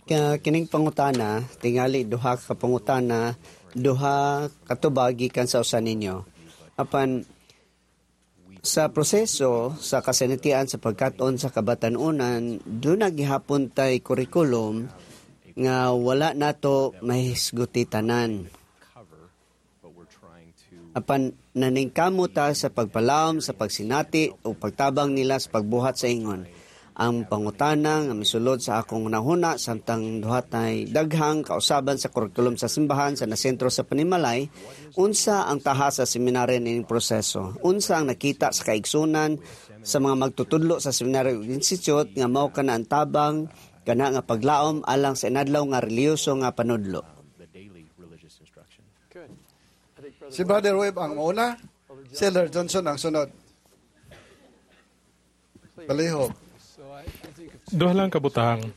Kaya kining pangutana, tingali duha ka pangutana, duha katubag gikan sa usa ninyo. Apan sa proseso sa kasinatian sa pagkat-on sa kabatan-unan, duna gihapon tay kurikulum nga wala nato mahisguti tanan. Apan naningkamot ta sa pagpalawom sa pagsinati o pagtabang nila sa pagbuhat sa ingon. Ang pangutana nga misulod sa akong hunahuna samtang duha tay daghang kausaban sa kurikulum sa simbahan sa nasentro sa panimalay, unsa ang taha sa seminaryo nining proseso? Unsa ang nakita sa kaigsunan sa mga magtutudlo sa seminaryo ug institute nga mao kana ang tabang kana nga paglaom alang sa inadlaw nga relihiyoso nga panudlo? Si Brother Webb ang mauna, si Elder Johnson ang sunod. Palihog. Duha lang kabutang.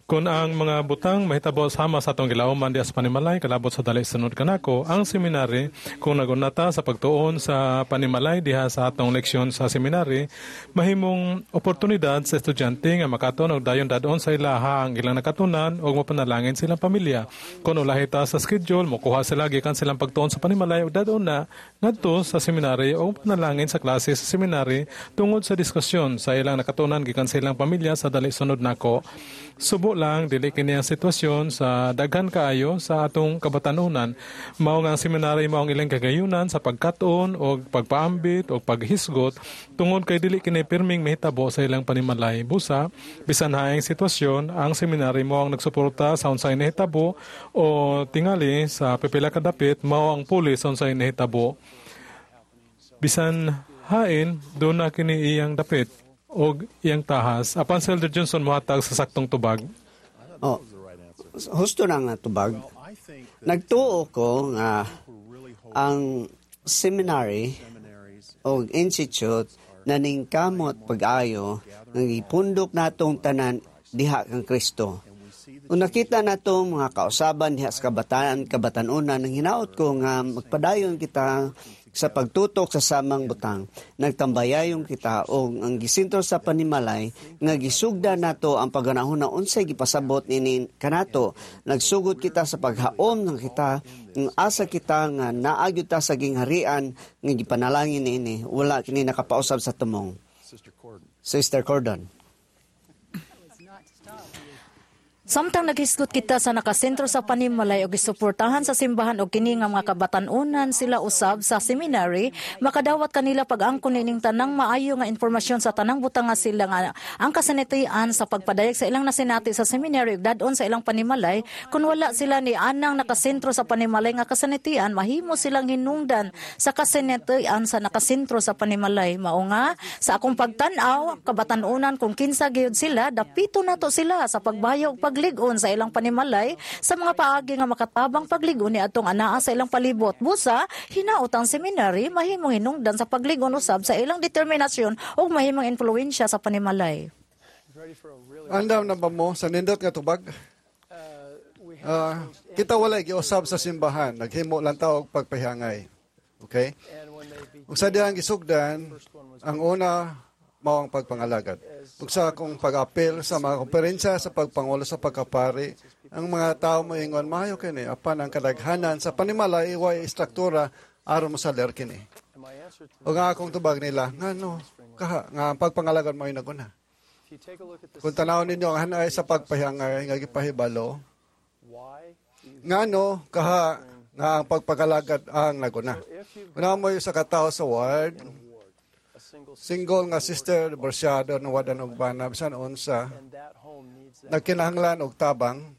Kung ang mga butang mahitabo sama sa atong gilauman diha sa panimalay kalabot sa dali sunod kanako, ang seminary, kung nagunata sa pagtuon sa panimalay diha sa atong leksyon sa seminary, mahimong oportunidad sa estudyante nga makaton og dayon dadon sa ilaha ang ilang nakatunan og mapanalangin silang pamilya. Kung ulahi ta sa schedule, mokuha sila gikan silang pagtuon sa panimalay og dadon na ngadto sa seminary o panalangin sa klase sa seminary tungod sa diskusyon sa ilang nakatunan gikan sa ilang pamilya sa dali sunod nako. Subo lang dili kini ang sitwasyon sa daghan kaayo sa atong kabatanunan. Mao nga ang seminary mao ang ilang kagayunan sa pagkat-on og pagpaambit og paghisgot tungod kay dili kini pirming mahitabo sa ilang panimalay. Busa bisan haing sitwasyon, ang seminary mao ang nagsuporta sa unsay nahitabo o tingali sa pipila ka dapit mao ang pulis sa unsay nahitabo. Bisan hain doon na kini iyang dapit og iyang tahas. Apan si Elder Johnson mohatag sa saktong tubag. Oh, husto na nga tubag. Nagtuo ko nga ang seminary o institute naningkamot pag-ayo nga gipundok natong tanan diha kang Kristo. Kung nakita nato mga kausaban diha sa kabataan, kabatanunan, nang hinaot ko nga magpadayon kita sa pagtutok sa samang butang. Nagtambayayon kita o ang gisentro sa panimalay nga gisugda nato ang pagganahon na unsay gipasabot nini kanato. Nagsugod kita sa paghaom ng kita, ng asa kita nga naagyod ta sa gingharian nga gipanalangin niini. Wala kini nakapausab sa tumong. Sister Cordon. Samtang naghisgot kita sa nakasentro sa panimalay og gisuportahan sa simbahan og kini nga mga kabatan-unan sila usab sa seminary, makadawat kanila pag-angkon nining tanang maayo nga impormasyon sa tanang butang nga sila nga ang kasanitian sa pagpadayag sa ilang nasinati sa seminary ug dad-on sa ilang panimalay. Kung wala sila ni anang nakasentro sa panimalay nga kasanitian, mahimo silang hinungdan sa kasanitian sa nakasentro sa panimalay. Mao nga sa akong pagtan-aw, kabatan-unan kung kinsa gyud sila, dapito nato sila sa pagbayo ug paglig-on sa ilang panimalay sa mga paagi nga makatabang paglig-on ni atong anaa sa ilang palibot. Busa, hinaot ang seminary mahimong hinungdan sa paglig-on usab sa ilang determinasyon ug mahimong influensya sa panimalay. Andam na ba mo sa nindot nga tubag? Kita wala giusab sa simbahan, naghimo lang ta og pagpahangay. Okay? Ug sa dihang gisugdan, ang una mao ang pagpangalagad. Ug sa akong pag-apel sa mga komperensya sa pagpangulo sa pagkapari, ang mga tao moingon maayo kini apan ang kadaghanan sa panimalay way istruktura aron mosaler kini. Ug ang akong tubag nila, ngano kaha nga ang pagpangalagad mao naguna. Kung tanawon ninyo ang hanay sa pagpahangay nga gipahibalo, ngano kaha nga ang pagpagalagad ang naguna. Una mo sa katao sa ward, single nga sister divorsyado na wala og bana bisan unsa nagkinahanglan og tabang,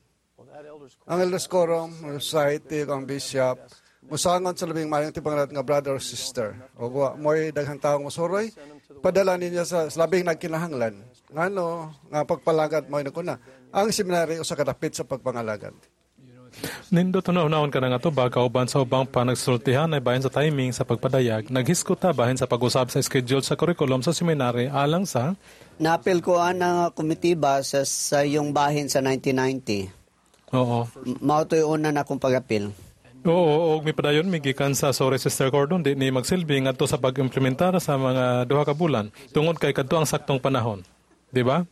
ang elders quorum, society, ang bishop musangon sa labing maayong tipangalat nga brother or sister o wa mo'y daghang taong mosuroy, padala ninyo sa labing nagkinahanglan. Ngano nga pagpalagad mo'y naguna. Ang seminary usa ka dapit sa pagpangalagad. Nindot na ka na nga tubag kauban sa ubang panagsultihan ay bahin sa timing sa pagpadayag. Naghisgot ta bahin sa pag-usab sa schedule sa curriculum sa seminary alang sa Naapil ko ang komitiba sa iyong bahin sa 1990. Oo. Mao to'y una na akong pag-apil. Oo, og mipadayon mi gikan sa, sorry Sister Cordon, di ni magsilbi ngadto sa pag-implementar sa mga 2 ka bulan tungod kay kadto ang saktong panahon. Di ba?